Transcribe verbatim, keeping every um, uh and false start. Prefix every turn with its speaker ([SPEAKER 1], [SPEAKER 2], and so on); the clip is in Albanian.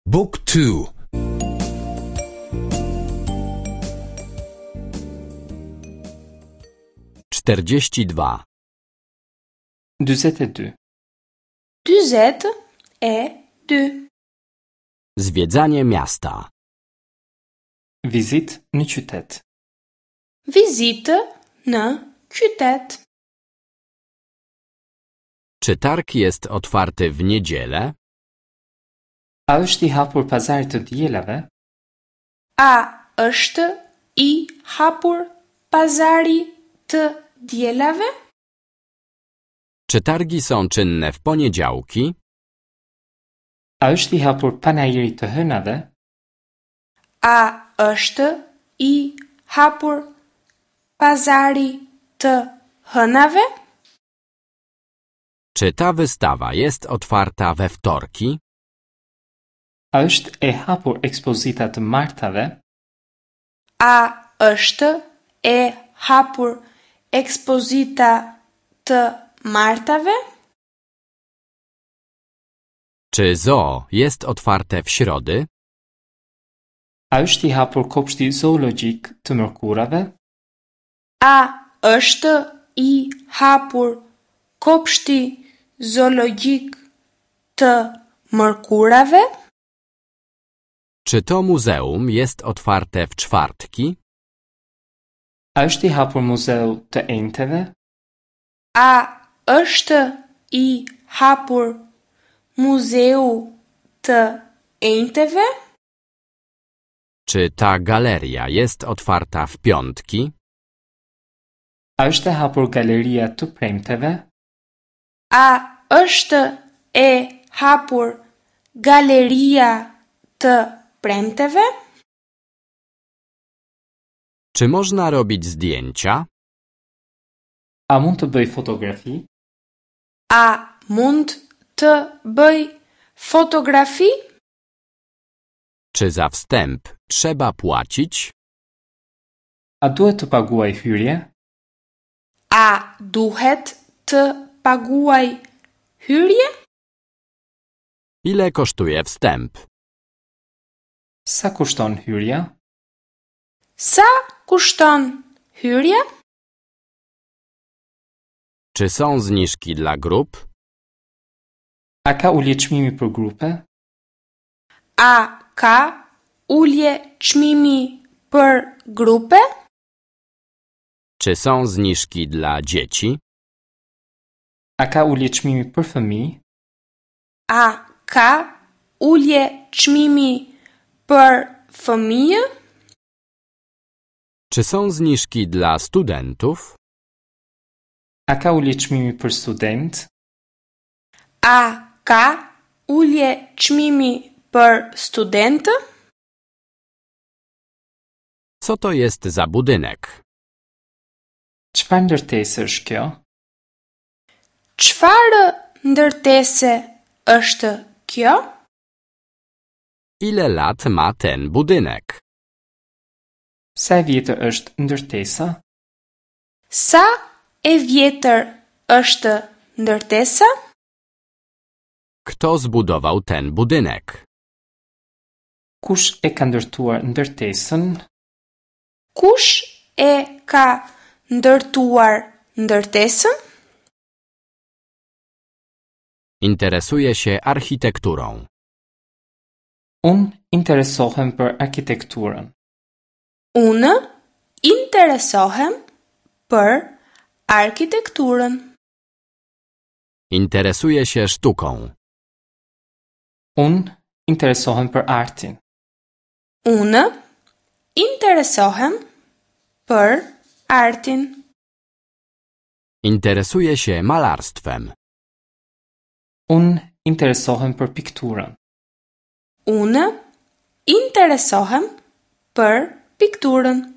[SPEAKER 1] Book two.
[SPEAKER 2] Czterdzieści dwa.
[SPEAKER 3] Dyzet e dy.
[SPEAKER 4] Dyzet e dy.
[SPEAKER 2] Zwiedzanie miasta.
[SPEAKER 3] Vizitë në qytet.
[SPEAKER 4] Vizitë në qytet.
[SPEAKER 2] Czy targ jest otwarty w niedzielę?
[SPEAKER 3] A është i hapur pazari të dielave?
[SPEAKER 4] A është i hapur pazari të dielave?
[SPEAKER 2] Czy targi są czynne w poniedziałki?
[SPEAKER 3] A është i hapur panairi të hënave?
[SPEAKER 4] A është i hapur pazari të hënave?
[SPEAKER 2] Czy ta wystawa jest otwarta we wtorki?
[SPEAKER 3] A është e hapur ekspozita të martave?
[SPEAKER 4] A është e hapur ekspozita të martave?
[SPEAKER 2] Czy zoo jest otwarte w środy?
[SPEAKER 3] A është i hapur kopshti zoologjik të mërkurave?
[SPEAKER 4] A është i hapur kopshti zoologjik të mërkurave?
[SPEAKER 2] Czy to muzeum jest otwarte w czwartki?
[SPEAKER 3] A është i hapur muzeu të enjteve?
[SPEAKER 4] A është i hapur muzeu të enjteve?
[SPEAKER 2] Czy ta galeria jest otwarta w piątki?
[SPEAKER 3] A është e hapur galeria të premteve?
[SPEAKER 4] A është e hapur galeria të premteve?
[SPEAKER 2] Czy można robić zdjęcia?
[SPEAKER 3] A mund të bëj fotografi?
[SPEAKER 4] A mund të bëj fotografi?
[SPEAKER 2] Czy za wstęp trzeba płacić?
[SPEAKER 3] A duhet të paguaj hyrje?
[SPEAKER 4] A duhet të paguaj hyrje?
[SPEAKER 2] Ile kosztuje wstęp?
[SPEAKER 3] Sa kushton hyrja?
[SPEAKER 4] Sa kushton hyrja?
[SPEAKER 2] Czy są zniżki dla grup?
[SPEAKER 3] A ka ulje çmimi për grupe?
[SPEAKER 4] A ka ulje çmimi për grupe?
[SPEAKER 2] Czy są zniżki dla dzieci?
[SPEAKER 3] A ka ulje çmimi për fëmijë?
[SPEAKER 4] A ka ulje çmimi për fëmijë?
[SPEAKER 2] Czy są zniżki dla studentów?
[SPEAKER 3] A ka ulje çmimi për student?
[SPEAKER 4] A ka ulje çmimi për studentë?
[SPEAKER 2] Co to jest za budynek?
[SPEAKER 3] Çfarë ndërtese është kjo?
[SPEAKER 4] Çfarë ndërtese është kjo?
[SPEAKER 2] Ile lat ma ten budynek?
[SPEAKER 3] Sa e vjetër është ndërtesa?
[SPEAKER 4] Sa e vjetër është ndërtesa?
[SPEAKER 2] Kto zbudował ten budynek?
[SPEAKER 3] Kush e ka ndërtuar ndërtesën?
[SPEAKER 4] Kush e ka ndërtuar ndërtesën?
[SPEAKER 2] Interesuję się architekturą.
[SPEAKER 3] Unë interesohem për arkitekturën.
[SPEAKER 4] Unë interesohem për arkitekturën.
[SPEAKER 2] Interesuję się sztuką.
[SPEAKER 3] Unë interesohem për artin.
[SPEAKER 4] Unë interesohem për artin.
[SPEAKER 2] Interesuję się malarstwem.
[SPEAKER 3] Unë interesohem për pikturën.
[SPEAKER 4] Unë interesohem për pikturën.